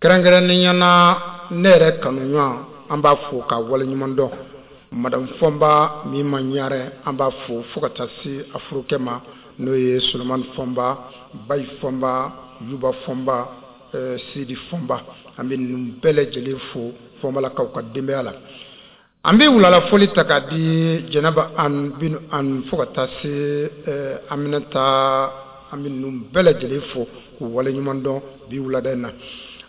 Kɛrɛnkɛrɛnnenya na ne yɛrɛ kanuɲɔgɔn, an b'a fo ka waleɲuman dɔn. Madame Fɔnba min ma ɲarɛ, an b'a fo fo ka taa se a furukɛ ma, n'o ye Solomani Fɔnba, Bayi Fɔnba, Yuba Fɔnba, eh, Sidi Fɔnba. An bɛ ninnu bɛɛ lajɛlen fo Fɔnbalakaw ka denbaya la. An bɛ wulalafoli ta ka di Jɛnɛba an Binu an fo ka taa se eh, Aminata. An bɛ ninnu bɛɛ lajɛlen fo k'u waleɲuman dɔn bi wulada in na.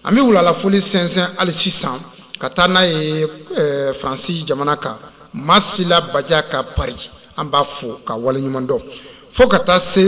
An bɛ wulalafoli sɛnsɛn hali sisan ka taa n'a ye eh, Faransi jamana kan, Masila Baja ka Paris, an b'a fo ka waleɲuman dɔn. Fo ka taa se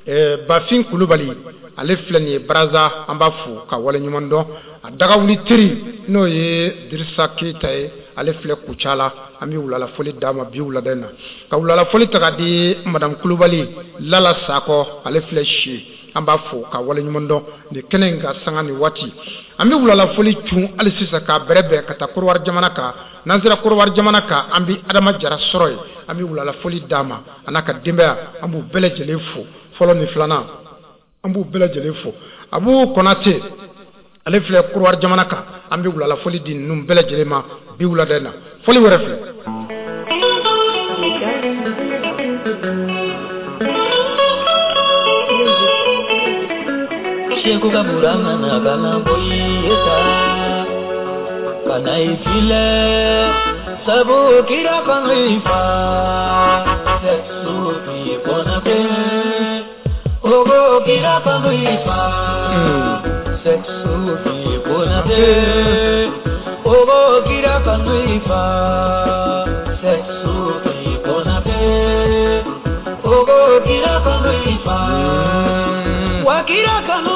eh, Bafin Kulubali, ale filɛ nin ye Baraza, an b'a fo ka waleɲuman dɔn. A dagawuli teri n'o ye Dirisa Keyita ye, ale filɛ Kucala, An bɛ wulala foli d'a ma bi wulada in na, ka wulala foli ta ka di madame Kulubali Lala Sakɔ, ale filɛ si, an b'a fo ka waleɲuman dɔn nin kɛnɛ in ka sanga ni waati. An bɛ wulala foli cun hali sisan k'a bɛrɛbɛn ka taa Korowari jamana kan. N'an sera Korowari jamana kan, an bɛ Adama Jara sɔrɔ yen, an bɛ wulala foli d'a ma a n'a ka denbaya, an b'u bɛɛ lajɛlen fo, fɔlɔ ni filanan an b'u bɛɛ lajɛlen fo. Abu Konate ale filɛ Korowari jamana kan, an bɛ wulala foli di ninnu bɛɛ lajɛlen ma bi wulada in na. Foli wɛrɛ filɛ. Seko ka burama na kana boyeta kana ifile sabu kira kanifa seksufi konabe ogo kira kanifa seksufi konabe ogo kira kanifa seksufi konabe ogo kira kanifa wakira kanu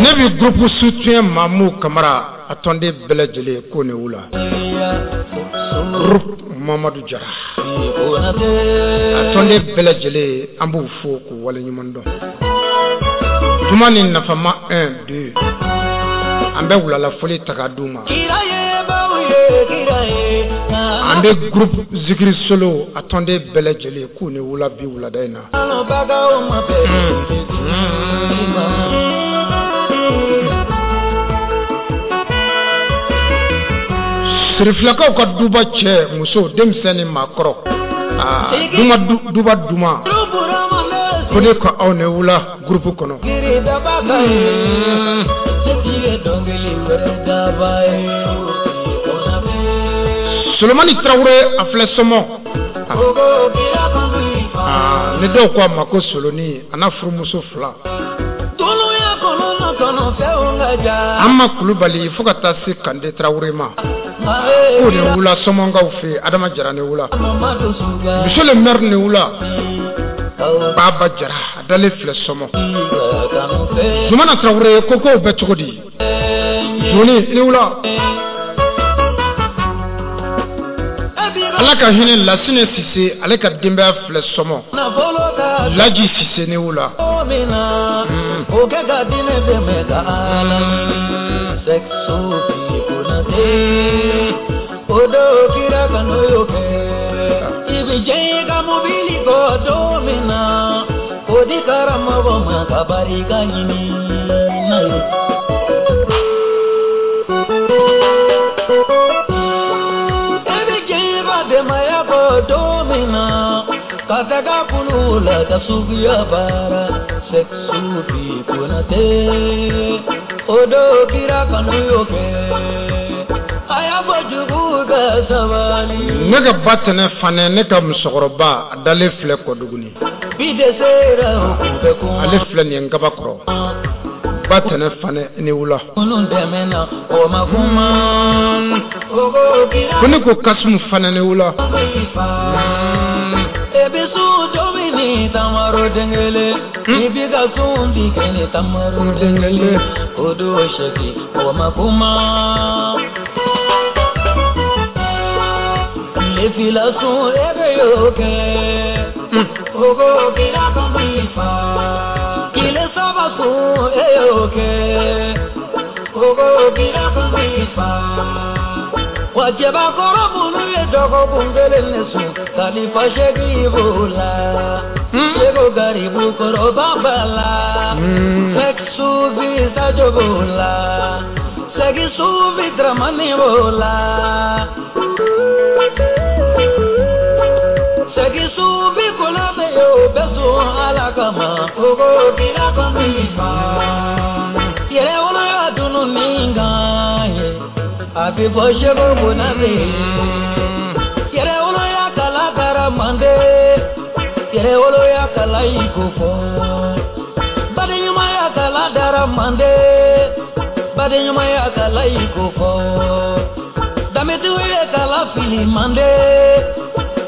Ne bɛ groupe soutien Mamou Kamara a tɔnden bɛɛ lajɛlen ko ne wula. Groupe Mamadou Jara a tɔnden bɛɛ lajɛlen an b'u fo k'u waleɲuman dɔn. Juma ni nafama un deux an bɛ wulala foli ta k'a d'u ma. An bɛ groupe Zikiri Solo a tɔnden bɛɛ lajɛlen k'u ni wula bi wulada in na. Sirifilakaw ka duba cɛ muso denmisɛn ni maakɔrɔ, aa duma duba duma ko ne ka aw ni wula groupe kɔnɔ. Solomani Tarawele a filɛ sɔmɔ, aa ne dɔw ko a ma ko Soloni a n'a furumuso fila. An ma Kulubali fo ka taa se Kande Tarawele ma k'o ni wula sɔmɔkaw fɛ, Adama Jara ni wula, monsieur le maire ni wula, Baba Jara a dalen filɛ sɔmɔ. Zumana Tarawele ko kow bɛ cogo di? Zoni ni wula. Ala ka hinɛ Lasine Sise ale ka denbaya filɛ sɔmɔ, Laji Sise ni wula. Kataga kulula kasubiya bara seksufi konate odo kira kanu yoke aya bojugu ka sabali. Ne ka ba tɛnɛ fanɛ, ne ka musokɔrɔba a dalen filɛ Kɔduguni, ale filɛ nin ye Nkaba kɔrɔ. Ba tɛnɛ fanɛ ni wula. Ko ne ko Kasimu fanɛ ni wula. Wajɛbakɔrɔ minnu ye dɔgɔkun kelen ne sun kalifa seegin b'o la seko garibu kɔrɔba b'a la sɛki sufi sajo b'o la sɛki sufi dramani b'o la sɛki sufi konate o bɛ sun ala kama o ko kira kɔni fa yɛrɛ woloya dunu min kan ye. A bɛ fɔ seko konate yɛrɛ woloya kala kara mande yɛrɛ woloya kala i ko fɔ badenɲumanya kala dara mande badenɲumanya kala i ko fɔ danbetigiw ye kala fili mande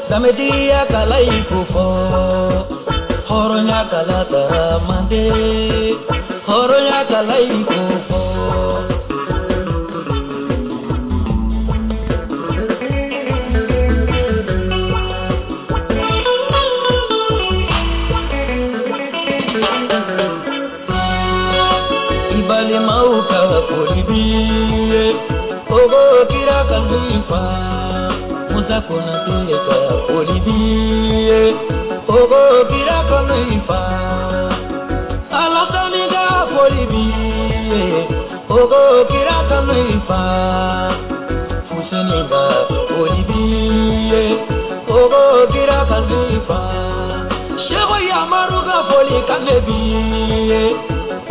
danbetigiya kala i ko fɔ hɔrɔnya kala dara mande hɔrɔnya kala i ko fɔ. Aminata Konate ka foli b'i ye Ogo kira kanu i fa Alasani ka foli b'i ye Ogo kira kanu i fa Fuseni ka foli b'i ye Ogo kira kanu i fa Seko Yamaru ka foli kan b'i ye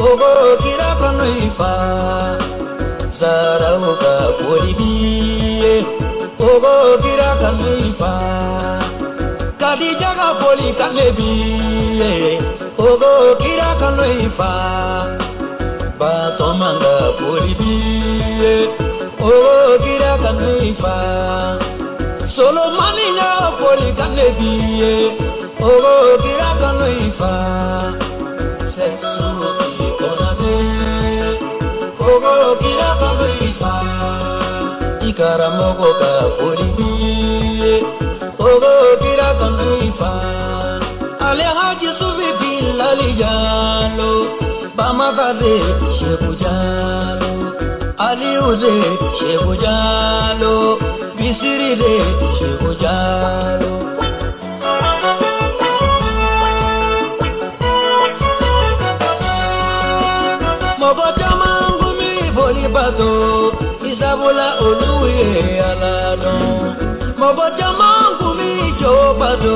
Ogo kira kanu i fa Zaraw ka foli b'i ye Ogo kira kanu i fa Kadija ka foli kan b'i ye Ogo kira kanu i fa Batoma ka foli b'i ye Ogo kira kanu i fa Solomani ka foli kan b'i ye Ogo kira kanu i fa Sesuki Konate Ogo kira kanu i fa I karamɔgɔ ka foli b'i ye Ogo kira kanu i fa Alhaji Sufi Bilali Jalo Bamaka de Sheku Jalo Aliyu de Sheku Jalo Bisiri de Sheku Jalo Mɔgɔ caman kun b'i boli bato Isabula olu ye Ala dɔn Mɔgɔ caman kun b'i jo bato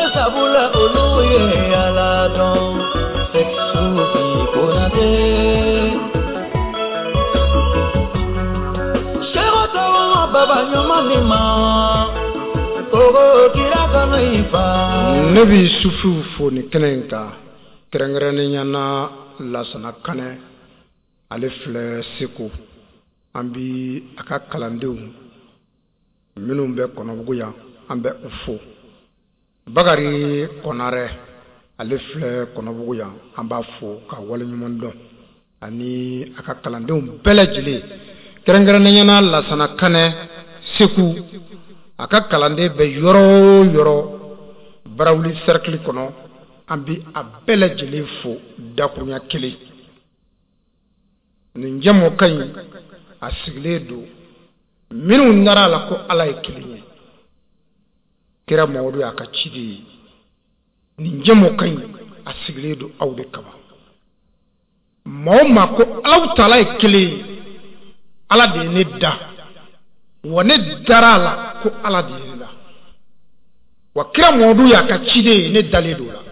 Isabula olu ye Ala dɔn Sesufi Konate Seko Tɔgɔma baba ɲuman min ma Ogo kira kanu i fa Ne bi sufiw fo nin kɛnɛ in kan kɛrɛnkɛrɛnnenya na Lasana Kanɛ ale filɛ Segu an bi a ka kalandenw minnu bɛ Kɔnɔbugu yan an bɛ u fo Bakari Kɔnarɛ ale filɛ Kɔnɔbugu yan an b'a fo ka waleɲuman dɔn ani a ka kalandenw bɛɛ lajɛlen kɛrɛnkɛrɛnnenya na Lasana Kanɛ Segu a ka kalanden bɛ yɔrɔ o yɔrɔ Barawuli cercle kɔnɔ an bi a bɛɛ lajɛlen fo dakurunya kelen nin jɛmukan in a sigilen don minnu nara a la ko Ala ye kelen ye kira Mamadu y'a ka ciden ye nin jɛmukan in a sigilen don aw de kama maa o maa ko Alahu taala ye kelen ye Ala de ye ne da wa ne dara a la ko Ala de ye ne da wa kira Mamadu y'a ka ciden ye ne dalen don o la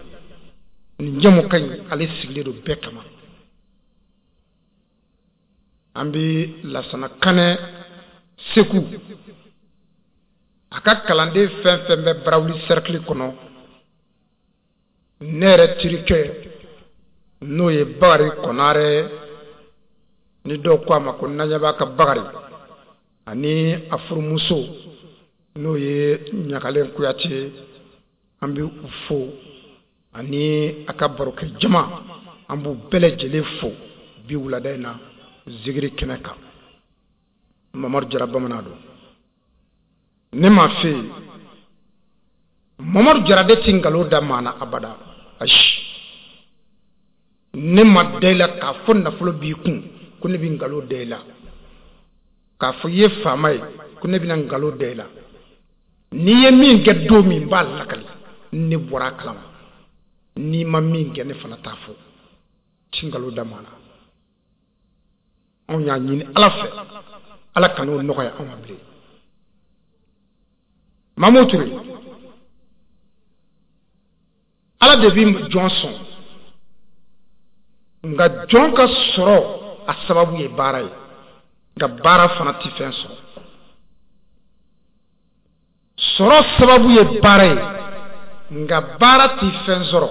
nin jɛmukan in ale sigilen don bɛɛ kama an bi Lasana Kanɛ Segu a ka kalanden fɛn fɛn bɛ Barawuli cercle kɔnɔ ne yɛrɛ terikɛ n'o ye Bakari Kɔnarɛ ni dɔw ko a ma ko Naɲaba ka Bakari ani a furumuso n'o ye Ɲagalen Kuyate an bɛ u fo ani a ka barokɛ jama an b'u bɛɛ lajɛlen fo bi wulada in na zikiri kɛnɛ kan Mamadu Jara bamanan don ne m'a fɛ yen Mamadu Jara de ti nkalon da maa na abada ayi ne ma da i la k'a fɔ nafolo b'i kun ko ne bɛ nkalon da i la k'a fɔ i ye faama ye ko ne bɛna nkalon da i la n'i ye min kɛ don min n b'a lakali ne bɔra a kalama n'i ma min kɛ ne fana t'a fɔ ti nkalon da maa na anw y'a ɲini Ala fɛ Ala kan'o nɔgɔya anw ma bilen Mamu Ture Ala de bi jɔn sɔn nka jɔn ka sɔrɔ a sababu ye baara ye nka baara fana ti fɛn sɔrɔ sɔrɔ sababu ye baara ye nka baara ti fɛn sɔrɔ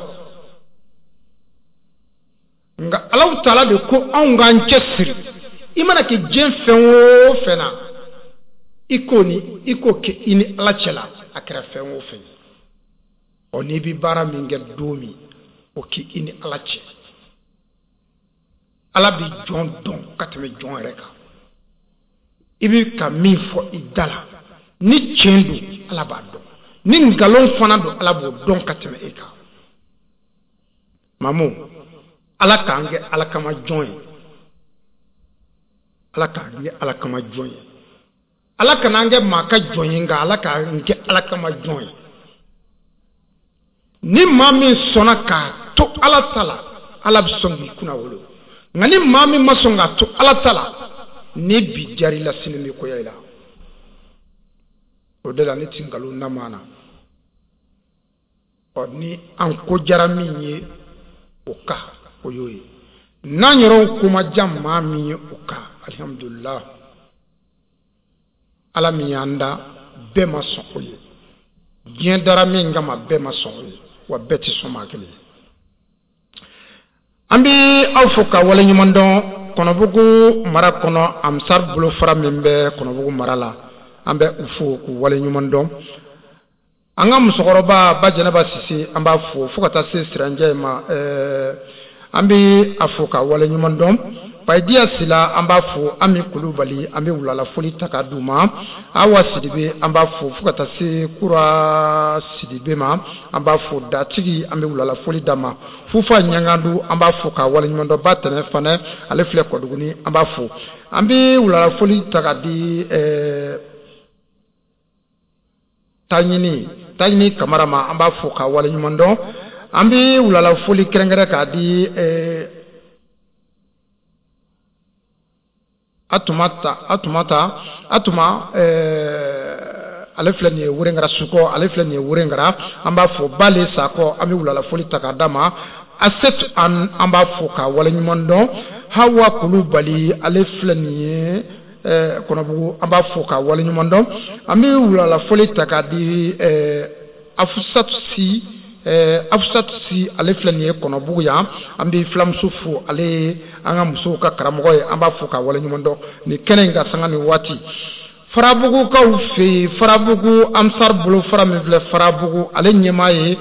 nka Alahu taala de ko anw k'an cɛ siri i mana kɛ diɲɛ fɛn o fɛn na i k'o ni i k'o kɛ i ni Ala cɛ la a kɛra fɛn o fɛn ye ɔ n'i bɛ baara min kɛ don min o k'i i ni Ala cɛ Ala bɛ jɔn dɔn ka tɛmɛ jɔn yɛrɛ kan i bɛ ka min fɔ i da la ni tiɲɛ don Ala b'a dɔn ni nkalon fana don Ala b'o dɔn ka tɛmɛ e kan Mamu Ala k'an kɛ Ala kama jɔn ye Ala k'an kɛ Ala kama jɔn ye Ala kana an kɛ maa ka jɔn ye, nka Ala k'an kɛ Ala kama jɔn ye. Ni maa min sɔnna k'a to Ala ta la, Ala bɛ sɔn k'i kunna wolo. Nka ni maa min ma sɔn k'a to Ala ta la, ni bi diyara i la, sini bɛ goya i la. O de la ne ti nkalon da maa na. Ɔ ni an ko diyara min ye, o ka o y'o ye. N'an yɛrɛw ko ma diya maa min ye, o ka alihamudulila. Ala min y'an da, bɛɛ ma sɔn o ye. Diɲɛ dara min kama, bɛɛ ma sɔn o ye, wa bɛɛ tɛ sɔn maa kelen ye. An bɛ aw fo ka waleɲuman dɔn Kɔnɔbugu mara kɔnɔ, Ansar bolofara min bɛ Kɔnɔbugu mara la, an bɛ u fo k'u waleɲuman dɔn. An ka musokɔrɔba Ba Jɛnɛba Sise, an b'a fo fo ka taa se Siranjɛ ma, ɛɛ an bɛ a fo ka waleɲuman dɔn. Payidiya Sila, an b'a fo. Ami Kulubali, an bɛ wulalafoli ta k'a d'u ma. Awa Sidibe, an b'a fo fo ka taa se Kura Sidibe ma, an b'a fo. Datigi, an bɛ wulalafoli d'a ma. Fufa Ɲangandu, an b'a fo ka waleɲuman dɔn. Ba Tɛnɛ Fanɛ, ale filɛ Kɔduguni, an b'a fo. An bɛ wulalafoli ta k'a di ɛɛ Taɲini Taɲini Kamara ma, an b'a fo ka waleɲuman dɔn. An bɛ wulalafoli kɛrɛnkɛrɛn k'a di ɛɛ Atumata Atumata Atuma ɛɛ ale filɛ nin ye Wɛrɛngara Sukɔ, ale filɛ nin ye Wɛrɛngara, an b'a fo. Bale Sakɔ, an bɛ wulalafoli ta k'a d'a ma. Asetu an an b'a fo ka waleɲuman dɔn. Hawa Kulubali, ale filɛ nin ye ɛɛ Kɔnɔbugu, an b'a fo ka waleɲuman dɔn. An bɛ wulalafoli ta k'a di ɛɛ Afusatu Si ɛɛ Afusatu Si, ale filɛ nin ye Kɔnɔbugu yan, an bɛ filamuso fo, ale ye an ka musow ka karamɔgɔ ye, an b'a fo ka waleɲuman dɔn nin kɛnɛ in ka sanga ni waati. Farabugukaw fɛ yen, Farabugu Ansar bolofara min filɛ Farabugu, ale ɲɛmaa ye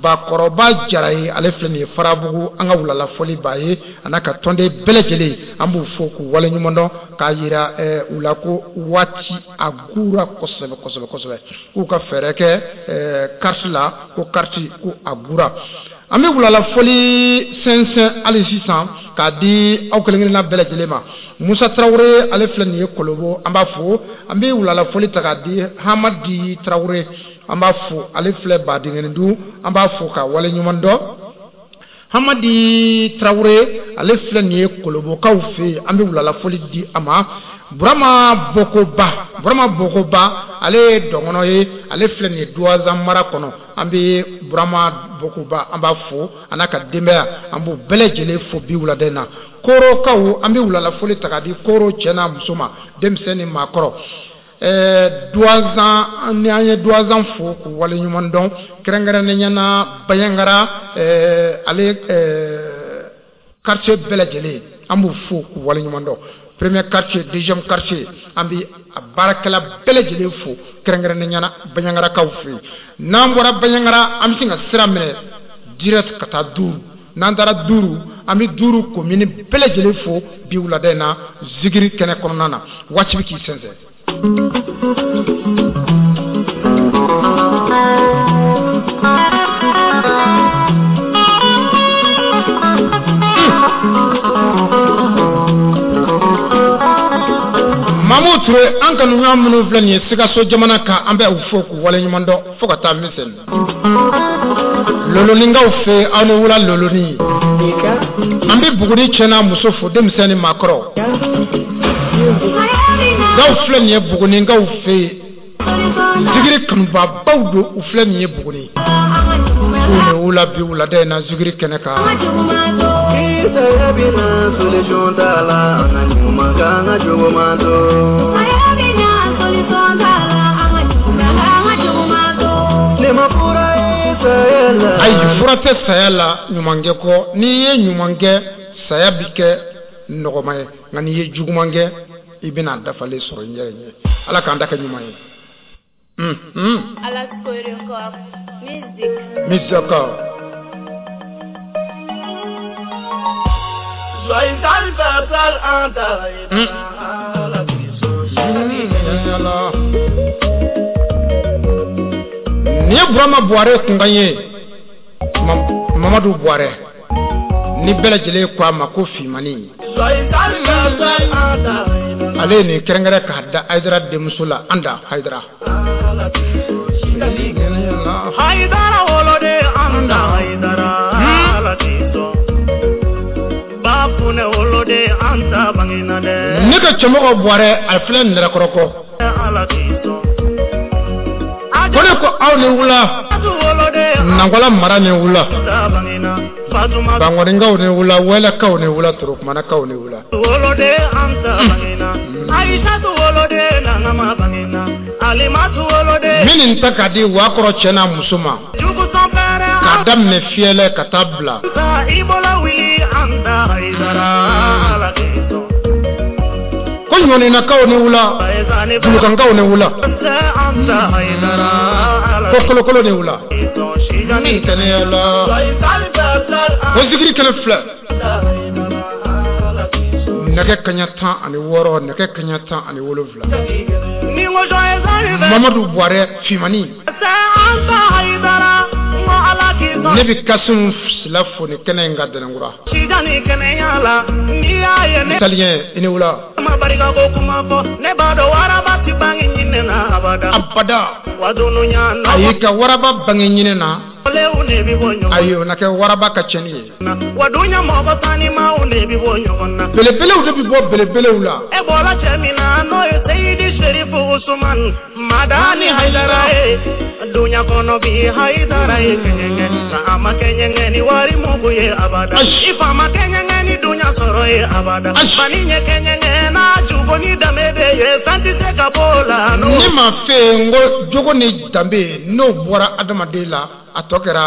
Bakɔrɔba Jara ye, ale filɛ nin ye Farabugu, an ka wulalafoli b'a ye, a n'a ka tɔnden bɛɛ lajɛlen, an b'u fo k'u waleɲuman dɔn, k'a yira u la ko waati a gura kosɛbɛ kosɛbɛ kosɛbɛ, k'u ka fɛɛrɛ kɛ carte la, ko carte ko a gura. An bɛ wulalafoli sɛnsɛn hali sisan k'a di aw kelen kelenna bɛɛ lajɛlen ma. Musa Tarawele, ale filɛ nin ye Kolobo, an b'a fo. An bɛ wulalafoli ta k'a di Hamadi Tarawele, an b'a fo, ale filɛ Badingɛndu, an b'a fo ka waleɲuman dɔn. Hamadi Tarawele, ale filɛ nin ye Kolobokaw fɛ yen, an bɛ wulalafoli di a ma. Burama Bokoba, Burama Bokoba, ale ye dɔngɔnɔ ye, ale filɛ nin ye Duwazan mara kɔnɔ, an bɛ Burama Bokoba, an b'a fo, a n'a ka denbaya, an b'u bɛɛ lajɛlen fo bi wulada in na. Korokaw, an bɛ wulalafoli ta k'a di Koro cɛ n'a muso ma, denmisɛn ni maakɔrɔ. Ɛɛ Duwazan, ni an ye Duwazan fo k'u waleɲuman dɔn, kɛrɛnkɛrɛnnenya na Bayangara, ɛɛ ale ɛɛ quartier bɛɛ lajɛlen, an b'u fo k'u waleɲuman dɔn. Premier quartier, deuxième quartier, an bɛ a baarakɛla bɛɛ lajɛlen fo, kɛrɛnkɛrɛnnenya na Bayangarakaw fɛ yen. N'an bɔra Bayangara, an bɛ sin ka sira minɛ direct ka taa Duuru. N'an taara Duuru, an bɛ Duuru commune bɛɛ lajɛlen fo bi wulada in na zikiri kɛnɛ kɔnɔna na. Waati bɛ k'i sɛnsɛn. Mamu Ture, an kanuɲɔgɔn minnu filɛ nin ye Sikaso jamana kan, an bɛ u fo k'u waleɲuman dɔn fo ka taa Misɛn. Loloninkaw fɛ, aw ni wula Loloni. An bɛ Buguni cɛ n'a muso fo, denmisɛn ni maakɔrɔ. Gaw filɛ nin ye Buguninkaw fɛ yen, zikiri kanubabaw don, u filɛ nin ye Buguni. K'u ni wula bi wulada in na zikiri kɛnɛ kan. Ayi, fura tɛ saya la ɲumankɛ kɔ. N'i ye ɲuman kɛ, saya bi kɛ nɔgɔma ye, nka n'i ye juguman kɛ, i bɛna dafalen sɔrɔ i yɛrɛ ɲɛ. Ala k'an da kɛ ɲuman ye. Musique. Nin ye Burama Buwarɛ kunkan ye, Mamadu Buwarɛ, ni bɛɛ lajɛlen ko a ma ko Fimani. Ale ye nin kɛrɛnkɛrɛn k'a da Hayidara denmuso la, Anda Hayidara. Hayidara woloden Anda Hayidara Ala k'i sɔn. Bafunɛ woloden Anta bangena dɛ. Ne ka cɛmɔgɔ Buwarɛ a filɛ Nɛrɛkɔrɔ kɔ. Ala k'i sɔn. Ko ne ko aw ni wula. Nankɔla mara ni wula. Bangɔninkaw ni wula, Wɛlɛkaw ni wula, Torokumanakaw ni wula. Woloden Anta bangena. Ayisatu woloden Nangama bangena. Alimatu woloden. Minnu ta ka di Wakɔrɔ cɛ n'a muso ma. K'a daminɛ fiyɛlɛ ka taa bila. I bɔla wuli Anta Hayidara Ala k'i sɔn. Ko ɲɔninakaw ni wula, Julukankaw ni wula, ko kolokolo ni wula. Min tɛnɛya la. Ko zikiri kɛnɛ filɛ. Nɛgɛ kaɲa tan ani wɔɔrɔ, nɛgɛ kaɲa tan ani wolonwula. Mamadu Buwarɛ Fimani. Ne bɛ Kasimu Sila fo ni kɛnɛ in ka Dɛnɛnkura. Italien i ni wula. Abada. Ayi ka waraba bange ɲinɛ na. Ayi o na kɛ waraba ka cɛnni ye. Belebelew de bɛ bɔ belebelew la. E bɔra cɛ min na n'o ye Seyidi Serifu Usumani Madani Hayidara ye. Dunya kɔnɔ bi Hayidara ye kɛɲɛkɛ. Nka a ma kɛɲɛkɛ ni wari mugu ye abada. I fa ma kɛɲɛkɛ ni dunya sɔrɔ ye abada. Mali ɲɛ kɛɲɛkɛ n'a jugu ni danbe de ye fɛn tɛ se ka bɔ o la. Ne ma fɛ yen n ko jogo ni danbe n'o bɔra adamaden la a tɔ kɛra.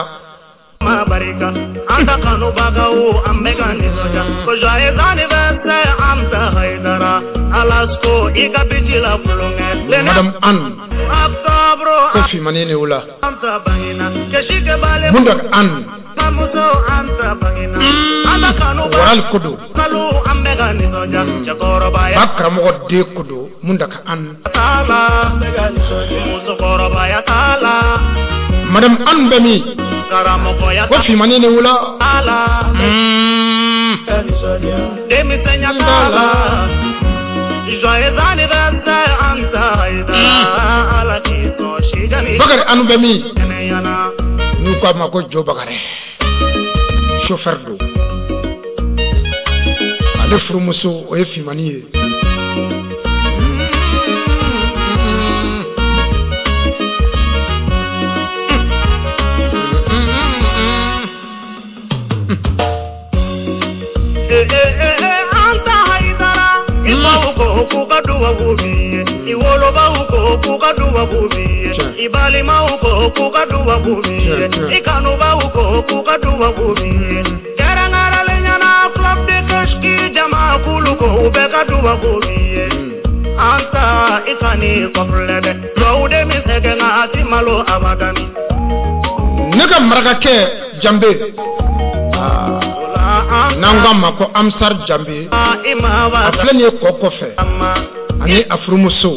Ma barika an ta kanubagaw an bɛ ka nisɔndiya ko joyeux anniversaire Anta Hayidara Alasko i ka biti la kulonkɛ. Madame Anne. Octobre. Ko Fimani ni wula. Anta bangena kesi kɛ bale. Mundak Anne. Bamuso Anta bangena. An ta kanubaga. Waral kodo. Kalo an bɛ ka nisɔndiya cɛkɔrɔbaya. Ba karamɔgɔ den kodo Mundak Anne. T'a la musokɔrɔbaya t'a la. Madame Anne bɛ min? Karamɔgɔya ko Fimani ni wula. T'a la. Denmisɛnya t'a la. Joyeux anniversaire Anta Hayidara Ala k'i sɔn sijani. Bakari Anu bɛ min? Kɛnɛyana. N'u k'a ma ko Jo Bakari. Chauffeur don. Ale furumuso o ye Fimani ye. Anta Hayidara i baw ko k'u ka duwawu b'i ye i wolobaw ko k'u ka duwawu b'i ye i balimaw ko k'u ka duwawu b'i ye i kanubaw ko k'u ka duwawu b'i ye kɛrɛnkɛrɛnlen ɲɛna club de Kashki jamakulu ko u bɛɛ ka duwawu b'i ye Anta i kan'i kɔfilɛ dɛ duwawu de min sɛgɛn nka a ti malo abadani. Ne ka marakakɛ Janbe. N'an k'a ma ko Amsar Janbe. A filɛ nin ye kɔ kɔfɛ. Ani a furumuso.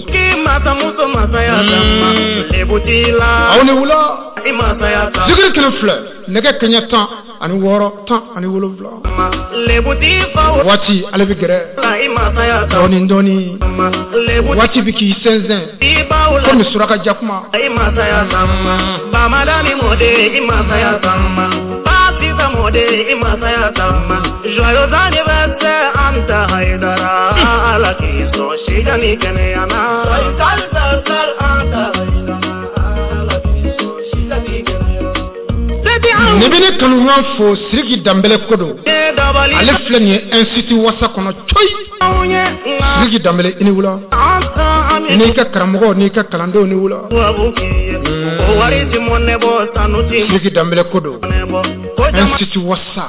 Aw ni wula. Zikiri kelen filɛ. Nɛgɛ kaɲɛ tan ani wɔɔrɔ tan ani wolonwula. Waati ale bɛ gɛrɛ. Dɔɔni dɔɔni. Waati bɛ k'i sɛnsɛn. Komi suraka jakuma. Joyeux anniversaire Anta Hayidara Ala k'i sɔn sijani kɛnɛya na. Joyeux anniversaire Anta Hayidara Ala k'i sɔn sijani kɛnɛya na. Ne bɛ ne kanuɲɔgɔn fo Siriki Danbɛlɛ ko don. Ale filɛ nin ye institut Wasa kɔnɔ coyi. Siriki Danbɛlɛ i ni wula. N'i ka karamɔgɔ n'i ka kalandenw ni wula. Siriki Danbɛlɛ ko don. Institut Wasa.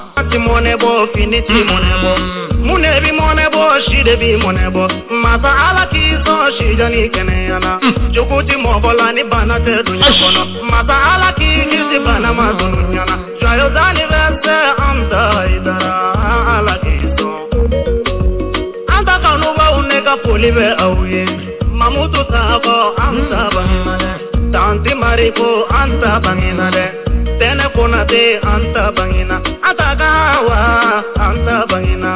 Mun de bi mɔnɛ bɔ si de bi mɔnɛ bɔ masa Ala k'i sɔn sijani kɛnɛya na jogo ti mɔgɔ la ni bana tɛ dunya kɔnɔ masa Ala k'i kisi bana ma dunya na joyeux anniversaire Anta Hayidara Ala k'i sɔn. Anta kanubaw ne ka foli bɛ aw ye Mamutu Sakɔ Anta bangena dɛ Tanti Mariko Anta bangena dɛ Tɛnɛ Konate Anta bangena Anta Gawa Anta bangena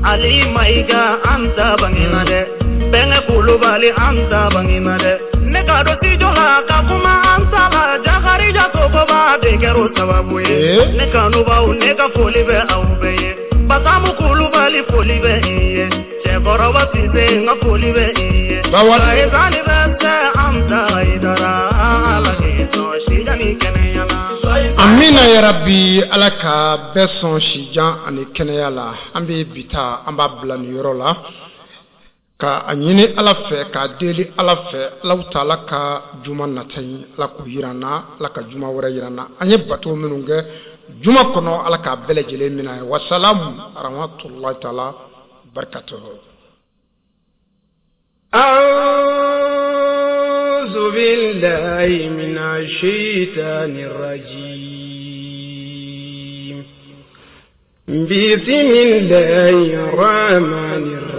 Ali Maïga Anta bangena dɛ Bɛnkɛ Kulubali an ta bangina dɛ ne ka dɔn studio la ka kuma an ta la Jakarija Sogoba de kɛra o sababu ye ne kanubaw ne ka foli bɛ aw bɛɛ ye Basamu Kulubali foli bɛ i ye Cɛkɔrɔba Sise n ka foli bɛ i ye Joyeux anniversaire Amsa Hayidara Ala k'i sɔn si jan ni kɛnɛya la. Amina ya rabbi, Ala ka bɛɛ sɔn sijan ani kɛnɛya la. An bɛ bi ta, an b'a bila nin yɔrɔ la ka a ɲini Ala fɛ, k'a deli Ala fɛ, Alahu taala ka juma nata in, Ala k'o yira an na, Ala ka juma wɛrɛ yira an na. An ye bato minnu kɛ juma kɔnɔ, Ala k'a bɛɛ lajɛlen minɛ. Wasalamu rahmatulahi taala barakatuhu. أعوذ بالله من الشيطان الرجيم. بسم الله الرحمن الرحيم.